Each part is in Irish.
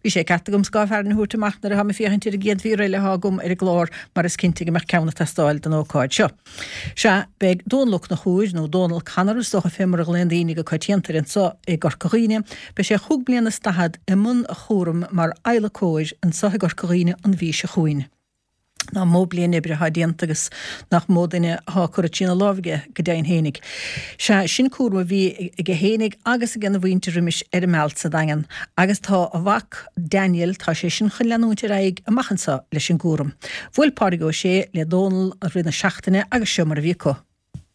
Bhí sé ceart agam scáth fearthainne a thabhairt amach nuair atáim ag féachaint ar an gcéad mhír eile atá agam ar an gclár mar is cinnte go mbeadh ceann ag teastáil don ócáid seo. Sea, beidh Dónal Ó Conchúir, nó Dónal Connor is dócha fé mar a ghlaonn daoine go coitianta air anso i gCorca Dhuibhne, beidh sé chúig bliana is daichead i mbun a chúraim mar adhlacóir anso i gCorca Dhuibhne an mhí seo chugainn. Nach mó bliain oibre atá déanta agus nach mó duine atá curtha trína lámh aige go deimhin fhéinig. Sea, sin cúram a bhí aige fhéinig agus ag ena mhuintir roimis ar an Mealt sa Daingean agus tá a mhac Daniel, tá sé sin chun leanúint ar aghaidh amach anso leis an gcúram. Bhuail Pádraig Ó Sé le Dónal i rith na seachtaine agus seo mar a bhí acu.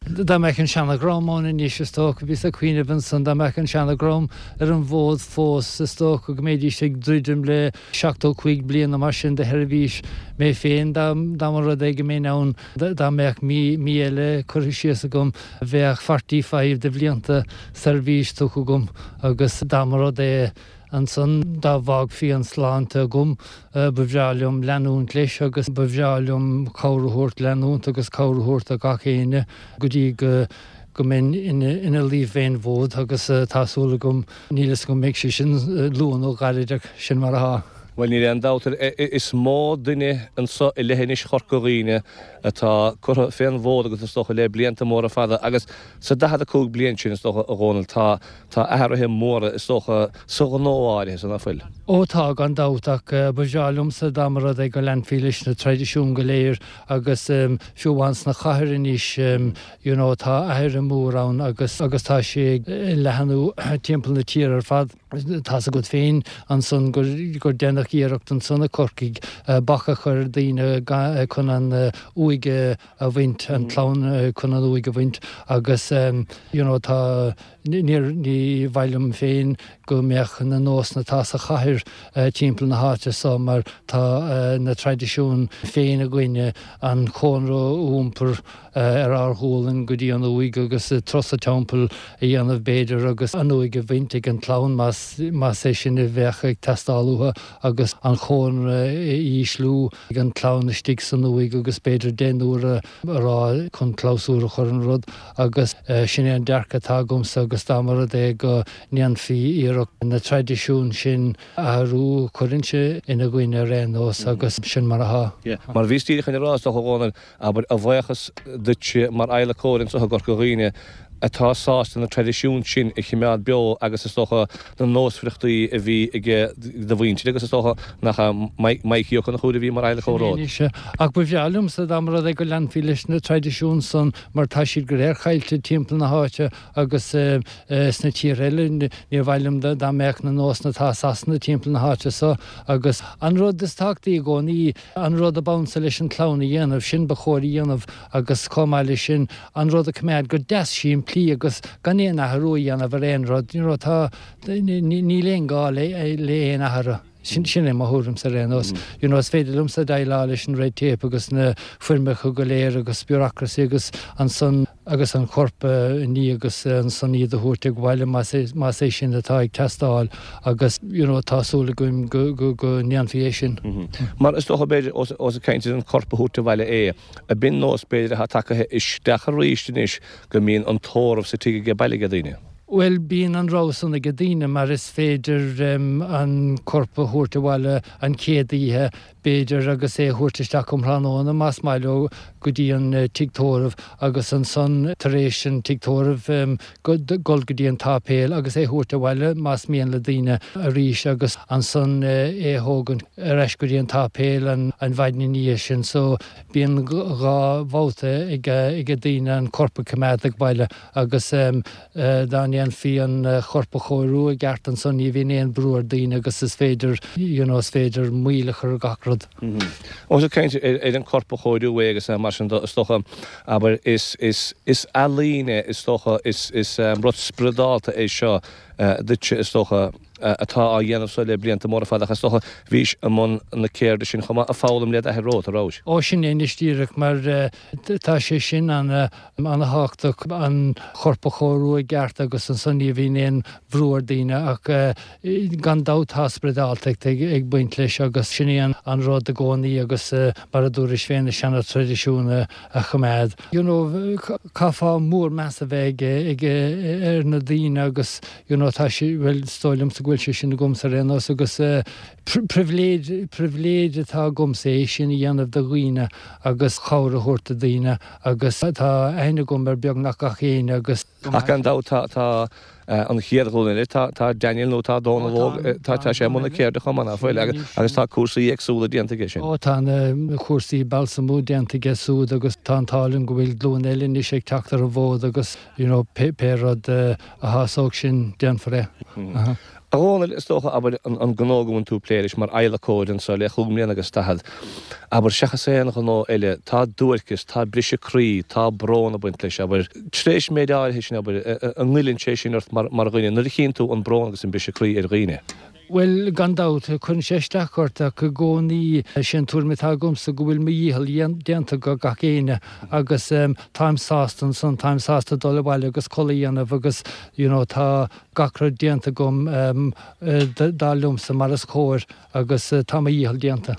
Dá mbeadh an seana-dhream ann anois, is dócha, bhíos ag cuimhneamh ansan, dá mbeadh an seana-dhream ar an bhfód fós, is dócha go mbeidís ag druidim le 75 bliain nó mar sin de sheirbhís. Mé féin, dá mba rud é go mbeinn ann, dá mbeadh mí, mí eile curtha síos agam, bheadh forty-five de bhlianta seirbhís tugtha agam agus dá mba rud é, Ansan, dá bhfágfaí an tsláinte agam, ba bhreá liom leanúint leis agus ba bhreá liom cabhair a thabhairt, leanúint agus cabhair a thabhairt do gach éinne go dtí go go mbeinn ina luí fén bhfód agus tá súil agam, níl fhios agam an mbeidh sé sin luath nó gairid ach sin mar atá. Bhuel, níl aon dabht air, is mó duine anso i leithinis Chorca Dhuibhne atá curtha fén bhfód agat is dócha le blianta móra fada agus sa 45 bliain sin is dócha, a Dhónaill, tá Tá athruithe móra, is dócha, sa ghnó áirithe san, ná fuil? Ó tá, gan dabht, ach ba bhreá liomsa dá mba rud é go leanfaí leis na traidisiúin go léir agus fiú amháin sna cathair anois you know tá athruithe mór ann agus agus tá sé ag leathnú timpeall na tíre ar fad. Tá's agat féin ansan gur gur deineadh iarracht ansan i Corcaigh bac a chur ar daoine chun an uaigh a a bhaint, an chlann chun an uaigh a bhaint agus you know tá, níor, ní mhaith liom féin go mbeadh na nósanna atá sa chathair timpeall na háite so mar tá na traidisiúin féin againne, an chónra a iompar ar ár ghualainn go dtí an uaigh agus turas an teampaill a dhéanamh b'fhéidir agus an uaigh a bhaint ag an chlann más, más é sin a bheadh ag teastáil uathu agus an chónra a ísliú. ag an chlann istigh san uaigh agus b'fhéidir deich n-uaire a rá chun clabhsúr a chur an rud agus sin é an dearcadh atá agamsa agus dá mba rud é go ndéanfaí iarracht na traidisiúin sin a athrú chuirfinnse ina gcoinne ar aon nós agus sin mar atá. Mar bhíos díreach chun a rá, is dócha, a Dhónaill, Abair, a bhuíochas duitse mar adhlacóir anseo i gCorca Dhuibhne atá sásta na traidisiúin sin a chimeád beo agus is dócha na nósmhaireachtaí a bhí ag do mhuintir agus is dócha nach ea Mikey Ó Conchúir a bhí mar adhlacóir romhat. Sin é anois. Ach ba bhreá liomsa dá mba rud é go leanfaí leis na traidisiúin san mar tá siad go léir caillte timpeall na háite agus sna tíortha eile. Níor mhaith liom dá mbeadh na nósanna atá i Sasana timpeall na háite so agus an rud is tábhachtaí i gcónaí, An rud ab ansa leis an chlann a dhéanamh, sin ba chóir a dhéanamh agus chomh maith leis sin, an rud a choimeád go deas simplí agus gan aon athrú a dhéanamh ar aon rud. You know, tá, níl aon gá le aon athrú. Sin, sin é mo thuairimse ar aon nós. You know, is féidir liomsa déileáil leis an red tape agus na foirmeacha go léir agus bureaucracy agus ansan, agus an corp a ní agus ansan iad a thabhairt abhaile más é, más é sin atá ag teastáil agus you know tá súil againn go, go, go ndéanfaí é sin. Mar is dócha b'fhéidir ós, ós ag caint ar an corp a thabhairt abhaile é, ab in nós b'fhéidir atá tagaithe isteach arís anois go mbíonn an tórramh sa tigh age baile age daoine? Bhuel bíonn an rogha san age daoine mar is féidir an corp a thabhairt abhaile an chéad oíche b'fhéidir, agus é a thabhairt isteach um thráthnóna, más maith leo, go dtí an tigh tórraimh, agus ansan, tar éis an tigh tórraimh, dul go dtí an tsáipéal agus é a thabhairt abhaile, más mian le daoine, arís, agus ansan é a thógaint ar ais go dtí an tsáipéal an mhaidin ina dhiaidh sin. So, bíonn dhá bhabhta ag daoine an corp a choimeád ag baile agus. Dá ndéanfaí an chorp a chóiriú i gceart ansan ní bhíonn aon brú ar daoine agus is féidir you know is féidir moill a chur ar gach rud. Ós ag caint ar an corp a chóiriú é agus mar sin de is dócha, abair, is, is, is ealaín é is dócha, is, is rud spioradálta é seo duitse is dócha atá á dhéanamh so le blianta móra fada ach is dócha bhís i mbun na ceirde sin chomh maith ag foghlaim le d'athair romhat, a rabhais? Ó sin é anois díreach mar tá sé sin ana Ana-thábhachtach an chorp a chóiriú i gceart agus ansan ní bhíonn aon bhrú ar daoine ach gan dabht tá spioradáltacht ag baint leis agus sin é an rud i gcónaí agus mar a dúrais féin na seana-traidisiúin a choimeád. You know caithfeá mór meas a bheith ag ar na daoine agus you know tá sé, bhuel is dóigh liomsa go bhfuil. go bhfuil sé sin agamsa ar aon nós agus pribhléid, pribhléid atá agamsa é sin a dhéanamh do dhaoine agus cabhair a thabhairt do daoine agus tá aithne agam ar beagnach gach éinne agus. Ach gan dabht tá, tá an chéad ghlúin eile, tá, tá Daniel nó tá Dónal óg, tá, tá sé i mbun na ceirde chomh maith, ná fuil, agus tá cúrsaí éagsúla déanta aige sin. Ó tá na cúrsaí balsamú déanta aige súd agus tá an t-ádh linn go bhfuil glúin eile anois ag teacht ar an bhfód agus you know pé, pé rud a shásódh sin déanfar é. A Dhónaill, is dócha, abair, an gnó go bhfuil tú ag plé leis mar adhlacóir anso le chúig mbliana agus daichead, abair, seachas aon ghnó eile, tá duairceas, tá briseadh croí, tá brón ag baint leis, abair. Tar éis méid áirithe sin, abair, an ngoilleann sé sin ort mar dhuine, nuair a chíonn tú an brón agus an briseadh croí ar dhaoine? Bhuel, gan dabht, cuireann sé isteach ort ach i gcónaí, sé an tuairim atá agamsa go bhfuil mo dhícheall déanta go gach éinne agus táim sásta ansan, táim sásta dul abhaile agus codladh a dhéanamh agus you know tá gach rud déanta agam dar liomsa mar is cóir agus tá mo dhícheall déanta.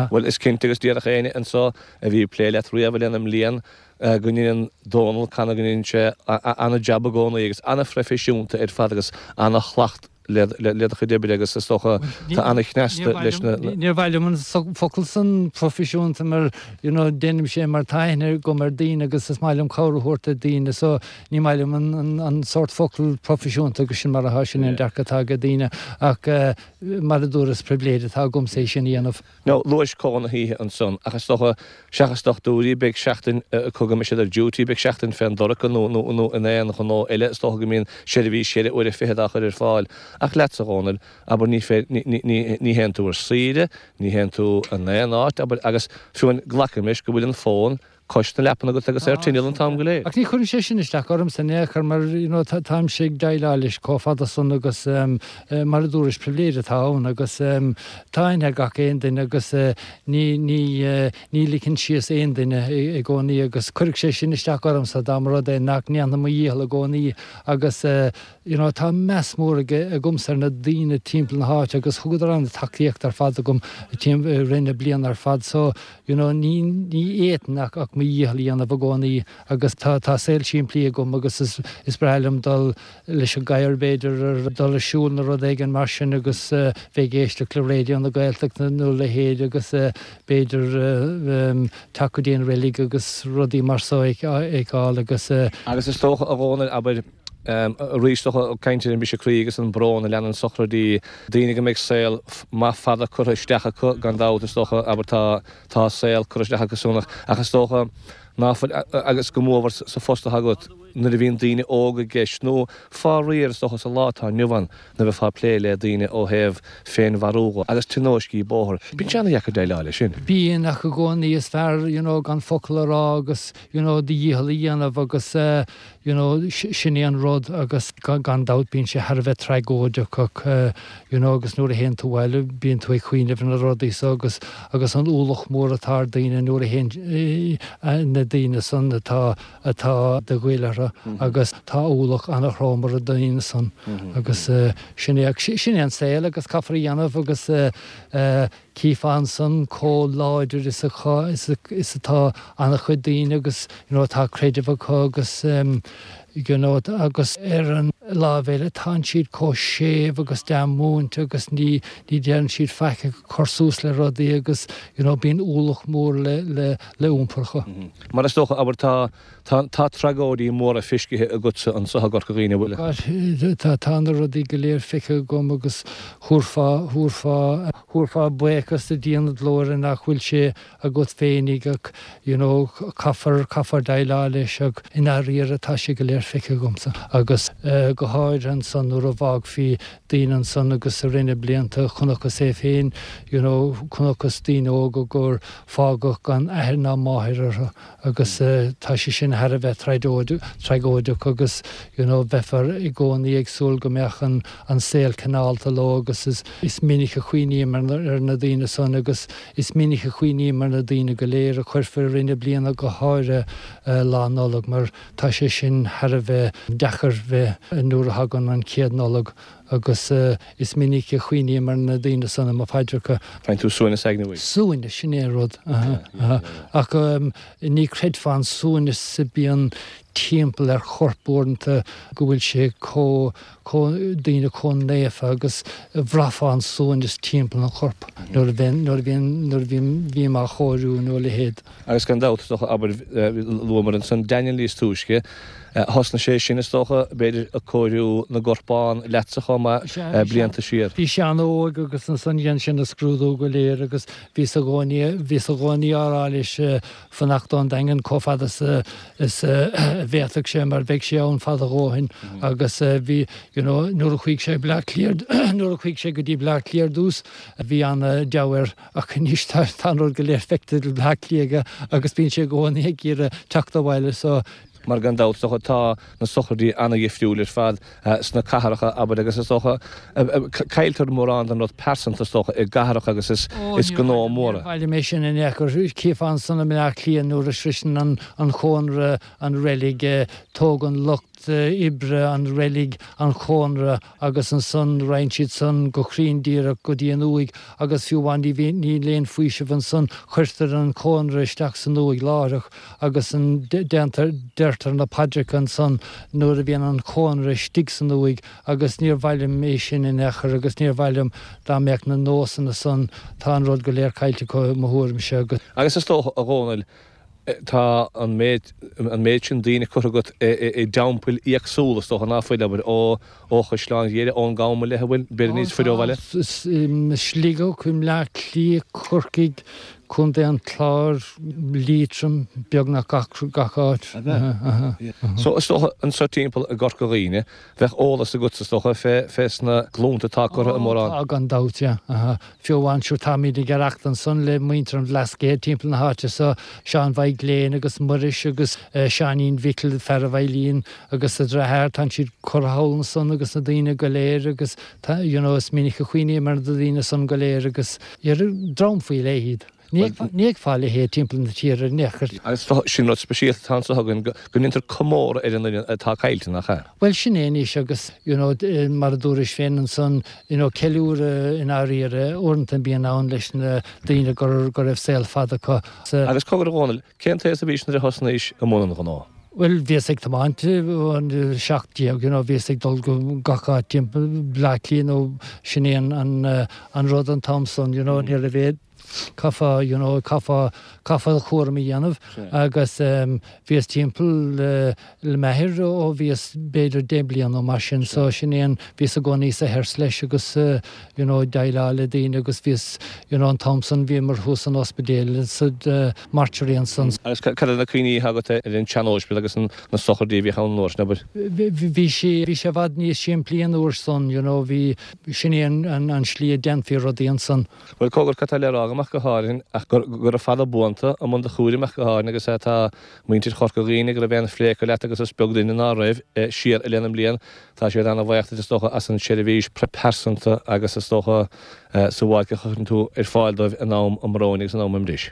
Bhuel, is cinnte agus déarfadh éinne anso a bhí ag plé leat riamh i leith na mblian go ndeineann Dónal Connor go ndeineann sé ana-jab i gcónaí agus ana-phroifisiúnta ar fad agus ana-shlacht le do chuid oibre agus is dócha tá ana-chneasta leis na. Níor mhaith liom an focal san proifisiúnta mar you know déanaimse é mar tá aithne agam ar daoine agus is maith liom cabhair a thabhairt do daoine so Ní maith liom an sórt focal proifisiúnta agus sin mar atá, sin é an dearcadh atá ag daoine ach mar a dúradh is pribhléid atá agamsa é sin a dhéanamh. Now, luais codladh na hoíche ansan ach is dócha, seachas dochtúirí, beidh seachtain acu go mbeidh siad ar duty, beidh seachtain fén dorcha nó nó in aon ghnó eile, is dócha go mbíonn seirbhís cheithre uaire fichead á chur ar fáil. Ach leatsa, a Dhónaill, abair, ní ní ní théann tú ar saoire, ní théann tú in aon áit, abair, agus fiú amháin glacaim leis go bhfuil an fón cois na leapan agat agus ar tinneall an t-am go léir. Ach ní chuireann sé sin isteach ormsa in aon chor mar you know táimse ag déileáil leis chomh fada san agus mar a dúrais pribhléid atá ann agus tá aithne ag gach aon duine agus ní ní ní ligfinn síos aon duine i gcónaí agus chuirfeadh sé sin isteach ormsa dá mba rud é nach ndéanfainn mo dhícheall i gcónaí agus you know tá meas mór agamsa ar na daoine timpeall na háite agus thugadar an-tacaíocht ar fad agam i rith na bliana ar fad so you know ní ní fhéadfainn ach ach mo dhícheall a dhéanamh i gcónaí agus tá tá saol simplí agam agus is is breá liom dul leis an gcadhair b'fhéidir ar dul ag siúl nó rud éigin mar sin agus bheith ag éisteacht le Raidió na Gaeltachta nó a leithéid agus b'fhéidir teacht go dtí an reilig agus rudaí mar so a fheiceáil agus. Agus is dócha a Dhónaill, abair, Arís, is dócha, ag caint ar an mbriseadh croí agus an brón a leanann sochraidí, daoine go mbeidh saol maith fada curtha isteach acu, gan dabht, is dócha, abair, tá, tá saol curtha isteach acu san ach, ach is dócha ná fuil, agus go mórmhór sa phost atá agat, nuair a bhíonn daoine óga i gceist, nó faraor, is dócha, sa lá atá inniu ann, nuair a bheifeá ag plé le daoine ó thaobh féinmharú dhe agus tionóiscí bóthair, bíonn sé ana-dheacair déileáil leis sin. Bíonn, ach i gcónaí is fearr, you know, gan focal a rá agus, you know, do dhícheall a dhéanamh agus eh, you know, sin é an rud agus gan dabht bíonn sé thar a bheith tragóideach ach, you know, agus nuair a théann tú abhaile bíonn tú ag cuimhneamh ar na rudaí so agus agus an ualach mór atá ar daoine nuair a théann na daoine san atá atá de ghoil orthu agus tá ualach ana-throm ar na daoine san agus sin é sin é an saol agus caithfear a dhéanamh agus Chífeá ansan chomh láidir is is atá an-chuid daoine agus you know tá creideamh acu agus you know agus ar an láimh eile tánn siad chomh séimh agus dea-mhúinte agus ní ní deireann siad faic ag cur suas le rudaí agus you know bíonn ualach mór le le le iompar acu. Mar is dócha, abair, tá Tá, tá tragóidí móra feiscithe agatsa anso i gCorca Dhuibhne, an bhfuil? Tá, tá na rudaí go léir feicthe agam agus thabharfá, thabharfá, thabharfá buíochas do Dhia na Glóire nach bhfuil sé agat féinig ach you know caithfear, caithfear déileáil leis ach i ndáiríre tá sé go léir feicthe agamsa agus go háirithe ansan nuair a bhfágfaí daoine ansan agus i rith na blianta chonacthas é féin you know chonacthas daoine óga gur fágadh gan athair ná máthair orthu. agus tá sé sin thar a bheith tragóideach agus you know bheifear i gcónaí ag súil go mbeadh an an saol cineálta leo agus is is minic a chuimhním ar na daoine san agus is minic a chuimhním ar na daoine go léir a cuirfear i rith na bliana go háirithe Lá Nollag mar tá sé sin thar a bheith deacair bheith nuair a thagann an chéad Nollag Agus is minic a chuimhním ar na daoine san i mo phaidreacha. Faigheann tú suaimhneas aigne uaidh. Suaimhneas, sin é an rud. Aha, aha. Ach ní chreidfeá an suaimhneas a bíonn timpeall ar chorp uaireanta go bhfuil sé chomh, chomh, daoine chomh naofa agus bhraithfeá an suaimhneas timpeall an choirp nuair a bhíonn, nuair a bhíonn, nuair a bhím, bhím á chóiriú nó a leithéid. Agus gan dabht, is dócha, abair, luamar ansan Daniel níos túisce, thosnaigh sé sin, is dócha, b'fhéidir, ag cóiriú na gcorpán leatsa chomh maith, blianta siar. Bhí sé an-óg agus ansan dhein sé na scrúdú go léir agus bhíos i gcónaí, bhíos i gcónaí á rá leis fanacht ón Daingean chomh fada is a, is a bhféadfadh sé mar bheadh sé ann fad a dhóthain agus bhí, you know, nuair a chuaigh sé Bleá Cliath, nuair a chuaigh sé go dtí Bleá Cliath ar dtús bhí an-deabhadh air. Ach anois tá an rud go léir feicthe i mBleá Cliath aige agus bíonn sé i gcónaí ag iarraidh teacht abhaile so. Mar gan dabht, is dócha, tá na sochraidí ana-dhifriúil ar fad sna cathracha, abair, agus is dócha, cailltear mórán den rud pearsanta, is dócha, i gcathracha agus is gnó mór é. Níor mhaith liom é sin in aon chor. Chífeá ansan i mBleá Cliath nuair a sroiseann an chónra an reilig, tógann lucht oibre an reilig an chónra agus ansan raghann siad san go cruinn díreach go dtí an uaigh agus fiú amháin ní bhíonn, níl aon faoiseamh ansan, cuirtear an cónra isteach san uaigh láithreach agus an, déantar, deirtear na paidreacha ansan nuair a bhíonn an chónra istigh san uaigh agus níor mhaith liom é sin in aon chor agus níor mhaith liom dá mbeadh na nósanna san, tá an rud go léir caillte acu i mo thuairimse agus. Agus is dócha, a Dhónaill, Tá an méid, an méid sin daoine curtha agat i dteampaill éagsúla, is dócha, ná fuil, abair, ó Chaisleán Ghaoth, ón gCam i leith, an bhfuil, b'fhéidir níos faide ó bhaile? Sligeach, i mBleá Cliath, Corcaigh, Contae an Chláir, Liatroim, beagnach gach, gach áit. So, is dócha, anseo timpeall i gCorca Dhuibhne, bheadh eolas agatsa, is dócha, fé, fés na glúnta atá curtha i mórán. Tá, gan dabht, yeah. Fiú amháin sure táimid ag aireacht ansan le muintir an Bhlascaoid timpeall na háite so, Seán Mhaidhc Léan agus Muiris agus Seáinín Mhicil, fear a' veidhlín agus a dhreatháir, tánn siad curtha thall ansan agus na daoine go léir agus tá, you know, is minic a chuimhním ar na daoine san go léir agus dream faoi leith iad. Ní fheicfeá a leithéid timpeall na tíre in aon chor. Agus sin rud speisialta atá anso againn, go ndéantar comóradh ar an duine atá caillte, nach ea? Bhuel, sin é anois agus, you know, mar a dúrais féin ansan, you know, ceiliúradh i ndáiríre uaireanta a bhíonn ann leis na daoine go go raibh saol fada acu. Agus cogar a Dhónaill, cén t-aos a bhís nuair a thosnaís i mbun an ghnó? Bhuel, bhíos ag tiomáint ón 17, you know, bhíos ag dul go gach áit timpeall Bleá Cliath nó sin é an, an, an rud an t-am san, you know, ní raibh aon, Caithfeá, you know, caithfeá, caithfeá do chúram a dhéanamh agus bhíos timpeall le m'athair ó bhíos b'fhéidir 10 bliana nó mar sin so sin é an, bhíos i gcónaí sa hearse leis agus you know déileáil le daoine agus bhíos, you know an t-am san bhíomar thuas san ospidéal sa mortuary ansan. Agus cad iad na cuimhní atá agat ar an tsean-óispidéal agus na sochraidí a bhíodh ann an uair sin, abair? Bhí sé, bhí sé i bhfad níos simplí an uair san, you know bhí, sin é an, an slí a déanfaí rudaí ansan. Bhuel, cogar, cad tá le rá agam ach go háirithe ach go raibh fada buanta i mbun do chúraim ach go háirithe agus tá muintir Chorca Dhuibhne go raibh aon phlé acu leat agus is beag duine ná raibh, siar i leith na mblian. Tá siad ana-bhaoch duit is dócha as an tseirbhís pearsanta agus is dócha sabháilce a chuireann tú ar fáil dóibh in am a mbróin agus in am a mbris.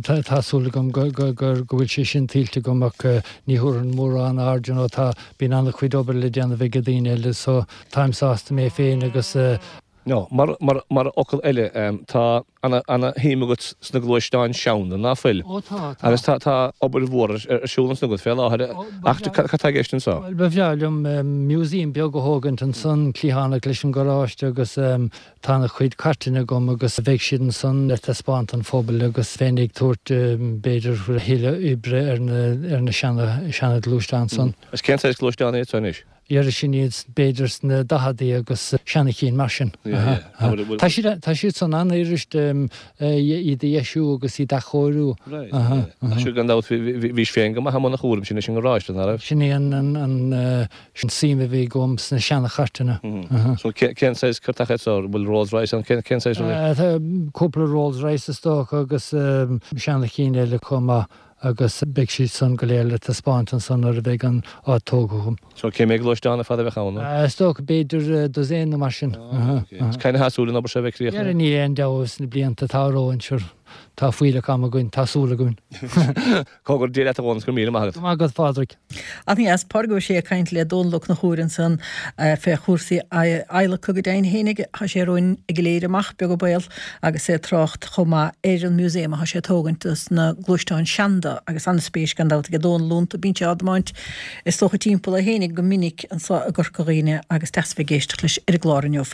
Tá súil agam go bhfuil sé sin tuillte agam ach ní thabharfainn mórán aird, you know, tá, bíonn an-chuid obair le déanamh ag daoine eile so táim sásta mé féin agus. No, mar, mar, mar fhocal eile, tá ana, ana shuim agat sna gluaisteáin seanda, ná fuil? Ó tá, tá. Agus tá, tá obair mhór ar, ar siúl ansan agat fé láthair, ach cad tá i gceist anso? Bhuel, ba bhreá liom museum beag a thógaint ansan, cliathánach leis an gharáiste agus tá ana chuid cairteanna agam agus bheidh siad ansan le taispeáint don phobal agus bheinn ag tabhairt b'fhéidir a thuilleadh oibre ar na, ar na seana, seana ghluaisteáin san. Agus cén saghas gluaisteán iad so anois? Dhera sin iad b'fhéidir sna daicheadaí agus seana chinn mar sin. Tá siad tá siad san an-fhuirist iad a dheisiú agus iad a athchóiriú. Ach sure gan dabht bhís féin go maith i mbun an chúraim sin leis an ngaráiste, ná raibh? Sin é an an suim a bhí agam sna seana chairteanna. So cén saghas cairteacha iad so? Bhfuil Rolls Royce ann? Cén saghas rudaí? Tá cúpla Rolls Royce is dócha agus seana chinn eile chomh maith. agus beidh siad san go léir le taispeáint ansan nuair a bheidh an áit tógtha agam. So cé mhéad gluaisteán ar fad a bheadh ann? Is dócha b'fhéidir dosaen nó mar sin. Cathain atá súil an obair seo a bheith críochnaithe? Dhera níl aon deabhadh sna blianta atá romhainn, sure. Tá fuílleach ama againn, tá súil againn. Go raibh Dia leat a Dhónaill, go raibh míle maith agat. Go raibh maith agat a Phádraig. An-dheas, Pádraig Ó Sé ag caint le Dónal Ó Conchúir ansan fé chúrsaí adhlactha go deimhin fhéinig. Tá sé romhainn ag an éirí amach, beag an baol, agus é ag trácht chomh maith ar an museum atá sé ag tógaint dos na gluaisteáin seanda agus an-spéis gan dabht aige Dónal iontu. Bíonn sé á dtiomáint is dócha timpeall é fhéinig go minic anso i gCorca Dhuibhne agus deas bheith ag éisteacht leis ar an gclár inniu.